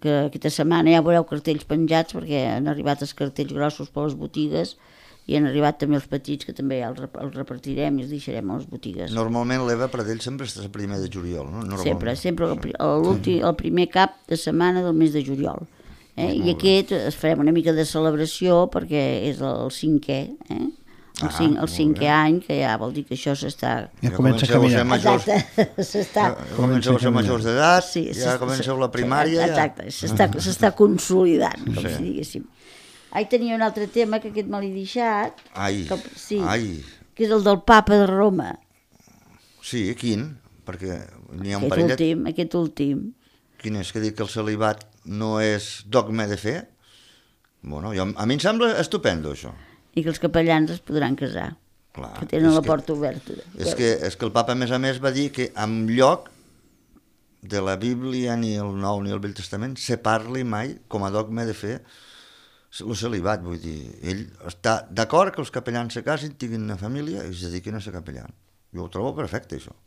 que aquesta setmana ja veureu cartells penjats, perquè han arribat els cartells grossos per les botigues i han arribat també els petits, que també ja els repartirem i els deixarem a les botigues. Normalment l'Eva Pradell sempre està el primer de juliol, no? Sempre el primer cap de setmana del mes de juliol. I aquest farem una mica de celebració perquè és el 5è, el 5è any, que ja vol dir que això s'està... Ja comença a caminar. Exacte, comenceu a ser majors d'edat, ja comenceu la primària... Exacte, s'està consolidant, com si diguéssim. Tenia un altre tema que aquest me l'he deixat, que és el del papa de Roma. Sí, quin? Perquè n'hi ha un parellet... Aquest últim. Quin és? Que dic que el celibat no és dogma de fe? Bueno, a mi em sembla estupendo, això. I que els capellans es podran casar, que tenen la porta oberta. És que el papa, a més, va dir que en lloc de la Bíblia, ni el Nou ni el Vell Testament, se parli mai com a dogma de fe el celibat. Vull dir, ell està d'acord que els capellans se casin, tinguin una família i es dediquin a ser capellans. Jo ho trobo perfecte, això.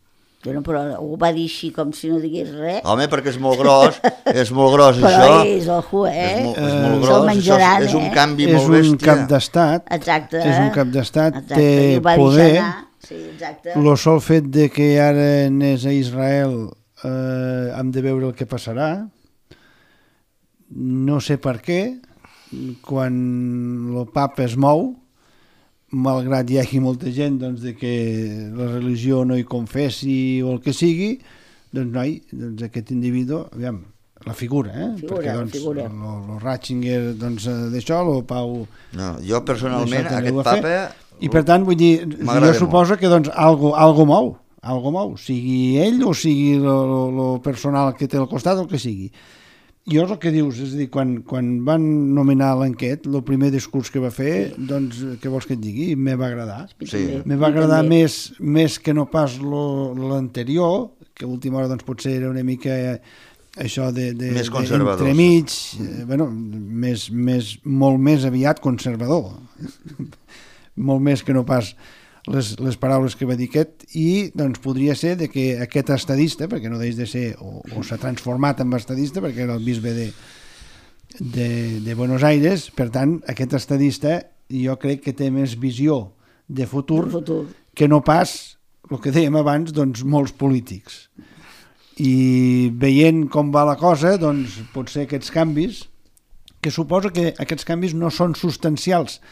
Bueno, però ho va dir així com si no digués res. Home, perquè és molt gros, però això. Però és, ojo, És molt gros, menjaran, és un canvi molt bèstia. És un cap d'estat. Exacte. És un cap d'estat, té poder. Sí, exacte. El sol fet de que ara anés a Israel hem de veure el que passarà. No sé per què, quan el papa es mou, malgrat hi hagi molta gent doncs, de que la religió no hi confessi o el que sigui, doncs aquest individu, aviam, la figura, perquè doncs el Ratzinger d'això, el Pau... No, jo personalment, aquest papa... I per tant, vull dir, jo suposo que doncs algo mou, sigui ell o sigui el personal que té al costat o el que sigui. Jo és el que dius, és a dir, quan van nominar l'enquet, el primer discurs que va fer, doncs, què vols que et digui? Me va agradar. Sí. Me va agradar més que no pas l'anterior, que a última hora doncs, potser era una mica això de més conservador. Entremig, bueno, molt més aviat conservador. Molt més que no pas les paraules que va dir aquest, i doncs podria ser de que aquest estadista, perquè no deix de ser, o s'ha transformat en estadista, perquè era el bisbe de Buenos Aires, per tant, aquest estadista jo crec que té més visió de futur que no pas, el que dèiem abans, doncs molts polítics. I veient com va la cosa, doncs potser aquests canvis, que suposo que aquests canvis no són substancials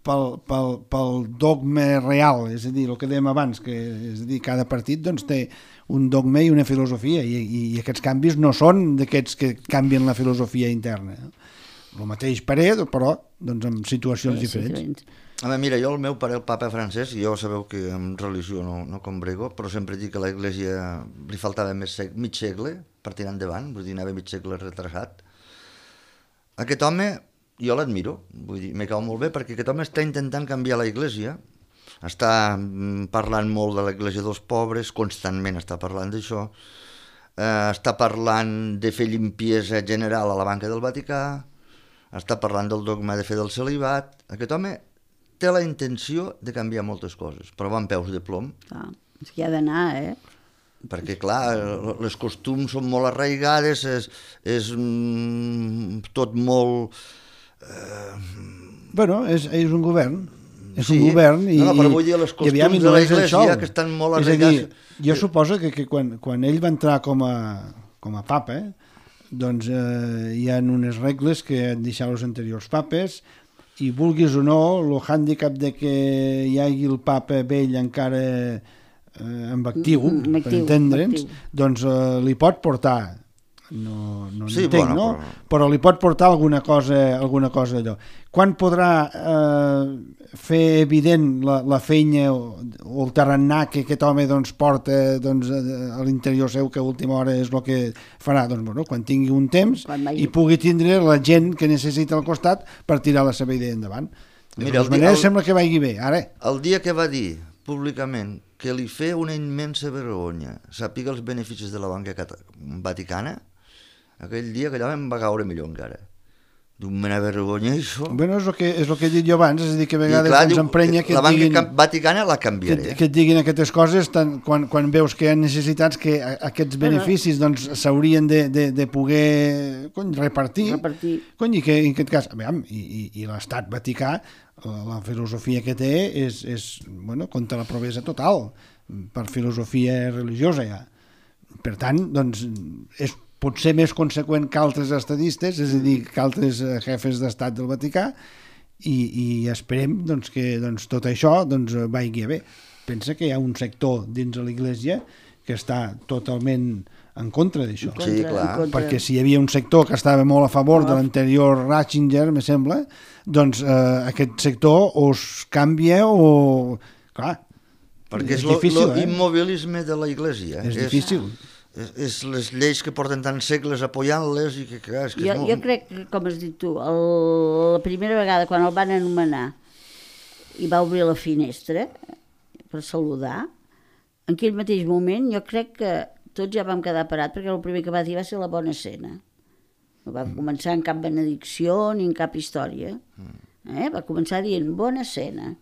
pel dogma real, és a dir, el que dèiem abans, que és a dir, cada partit doncs, té un dogma i una filosofia, i aquests canvis no són d'aquests que canvien la filosofia interna. El mateix parer, però doncs, en situacions diferents. Mira, jo el meu pare, el papa francès, jo sabeu que en religió no combrego, però sempre dic que a l'Església li faltava mig segle per tirar endavant, vull dir, anava mig segle retrasat. Aquest home, jo l'admiro, vull dir, me cau molt bé, perquè aquest home està intentant canviar la Iglésia, està parlant molt de la Iglésia dels pobres, constantment està parlant d'això, està parlant de fer limpiesa general a la banca del Vaticà, està parlant del dogma de fer del celibat. Aquest home té la intenció de canviar moltes coses, però va amb peus de plom. És que hi ha d'anar, Perquè, clar, les costums són molt arraigades, és tot molt... Bueno, és un govern. És un govern i... No, però vull dir, les costums de l'Església que estan molt arraigades... És a dir, jo suposo que quan ell va entrar com a papa, doncs hi ha unes regles que han deixat els anteriors papes, i vulguis o no, el hàndicap de que hi hagi el papa vell encara amb actiu, per entendre'ns, doncs li pot portar, no sí, entenc, no? Però li pot portar alguna cosa allò. Quan podrà fer evident la feina o el tarannà que aquest home doncs, porta doncs, a l'interior seu, que a última hora és el que farà? Doncs, bueno, quan tingui un temps i pugui tindre la gent que necessita al costat per tirar la seva idea endavant. De totes maneres, sembla que vagi bé. Ara. El dia que va dir públicament que li feia una immensa vergonya sàpiga els beneficis de la banca vaticana, aquell dia que allò em va caure millor encara. d'un mena vergonya, això. Bueno, és el que he dit jo abans, és a dir, que a vegades s'emprenya que la banca vaticana la canviaré. Que et diguin aquestes coses quan veus que hi ha necessitats que aquests beneficis s'haurien de poder repartir. I que en aquest cas, i l'estat vaticà, la filosofia que té és contra la pobresa total, per filosofia religiosa ja. Per tant, doncs, és potser més conseqüent que altres estadistes, és a dir, que altres jefes d'estat del Vaticà, i esperem que tot això vagi bé. Pensa que hi ha un sector dins de l'Església que està totalment en contra d'això. Sí, clar. Perquè si hi havia un sector que estava molt a favor de l'anterior Ratzinger, me sembla, doncs aquest sector o es canvia o... Clar, perquè és difícil, l'immobilisme de l'Església. És difícil. És les lleis que porten tants segles apoyant-les i que és que jo crec que, com has dit tu, la primera vegada quan el van anomenar i va obrir la finestra per saludar, en aquell mateix moment jo crec que tots ja vam quedar parats perquè el primer que va dir va ser la bona escena. No va començar en cap benedicció ni en cap història. Va començar dient bona escena.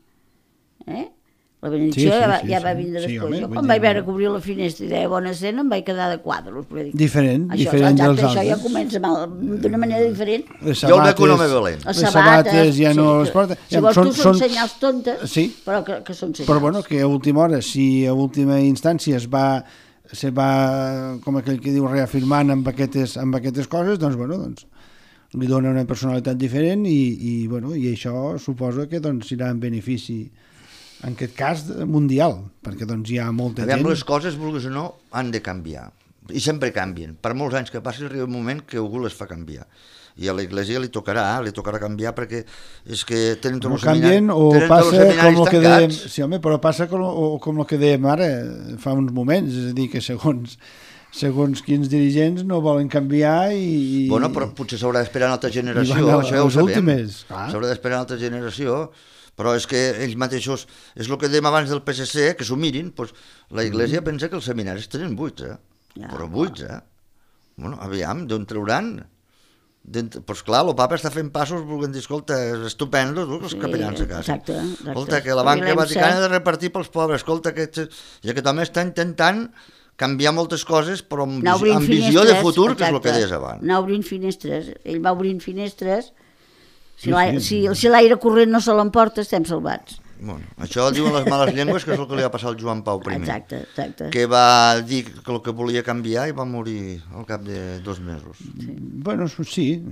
La benedicció ja va vindre després. Jo quan vaig veure que obria la finestra i deia bona escena em vaig quedar de quadros. Diferent dels altres. Això ja comença d'una manera diferent. Jo el veig un home valent. Les sabates ja no les porta. Si vols tu són senyals tontes, però que són senyals. Però bueno, que a última hora, si a última instància se va, com aquell que diu, reafirmant amb aquestes coses, doncs li dona una personalitat diferent i això suposa que serà en benefici, en aquest cas mundial, perquè hi ha molta gent... Les coses, vulguis o no, han de canviar, i sempre canvien. Per molts anys que passi arriba un moment que algú les fa canviar, i a l'Església li tocarà canviar perquè és que tenen tots els seminaris tancats. O passa com el que dèiem, sí, home, però passa com el que dèiem ara fa uns moments, és a dir, que segons quins dirigents no volen canviar i... Bueno, però potser s'haurà d'esperar una altra generació, això ja ho sabem. S'haurà d'esperar una altra generació, però és que ells mateixos, és el que dèiem abans del PSC, que s'ho mirin, doncs la Iglésia pensa que els seminaris tenen buits, però buits, Bueno, aviam, d'on trauran? Doncs clar, el papa està fent passos, volent dir, escolta, és estupendo, els capellans a casa. Exacte. Escolta, que la banca vaticana ha de repartir pels pobres, escolta, que aquest home està intentant canviar moltes coses, però amb visió de futur, que és el que deies abans. Anar obrint finestres. Ell va obrint finestres. Si l'aire corrent no se l'emporta, estem salvats. Bueno, això diuen les males llengües, que és el que li va passar al Joan Pau I. Exacte. Que va dir que el que volia canviar i va morir al cap de 2 mesos. Bueno, sí.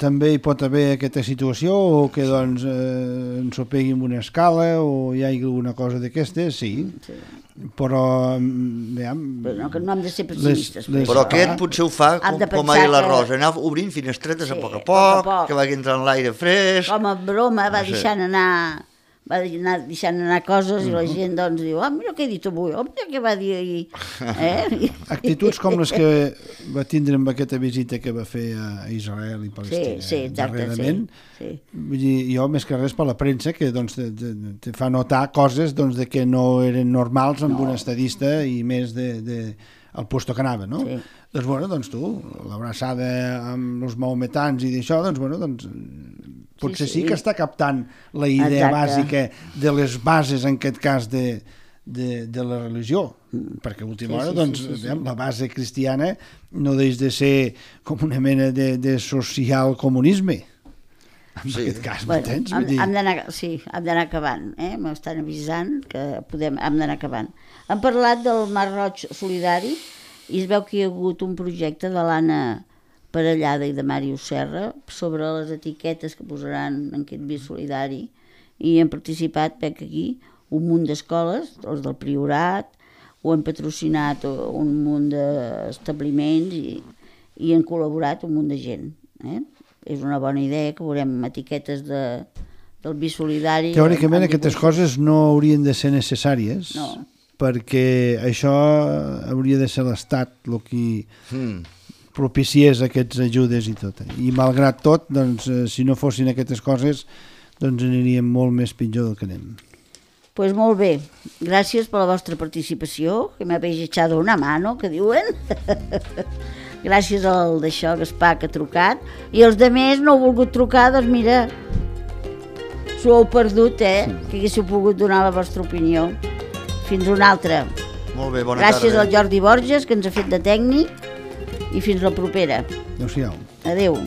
També hi pot haver aquesta situació, o que ens ho pegui amb una escala, o hi hagi alguna cosa d'aquestes, sí. Però no hem de ser pessimistes. Però aquest potser ho fa com ahir la Rosa, anar obrint finestretes a poc a poc, que vagi entrant l'aire fresc. Com a broma va deixant anar coses i la gent diu, mira què he dit avui, mira què va dir ahir. Actituds com les que va tindre amb aquesta visita que va fer a Israel i Palestina darrerament. Vull dir, jo més que res per la premsa que te fa notar coses de que no eren normals amb un estadista i més al puesto que anava, no? Doncs tu, l'abraçada amb els maometans i d'això, potser sí que està captant la idea bàsica de les bases, en aquest cas, de la religió, perquè a última hora la base cristiana no deix de ser com una mena de social comunisme. En aquest cas, m'entens? Hem d'anar acabant, m'estan avisant que hem d'anar acabant. Hem parlat del Mar Roig Solidari i es veu que hi ha hagut un projecte de l'Anna Parellada i de Màrius Serra sobre les etiquetes que posaran en aquest vi solidari, i han participat, veig aquí, un munt d'escoles, els del Priorat, ho han patrocinat un munt d'establiments i han col·laborat un munt de gent. És una bona idea que veurem etiquetes del vi solidari. Teòricament aquestes coses no haurien de ser necessàries, perquè això hauria de ser l'Estat el que propiciés aquestes ajudes i tot. I malgrat tot, si no fossin aquestes coses, aniríem molt més pitjor del que anem. Pues molt bé, gràcies per la vostra participació, que m'habéis echado una mano, que diuen. gràcies al d'això, Gaspar, que ha trucat, i els de més no heu volgut trucar, doncs mira, s'ho heu perdut, que haguéssiu pogut donar la vostra opinió. Fins una altra. Molt bé, bona Gràcies tarda. al Jordi Borges, que ens ha fet de tècnic, i fins la propera. Adéu-siau. Adéu.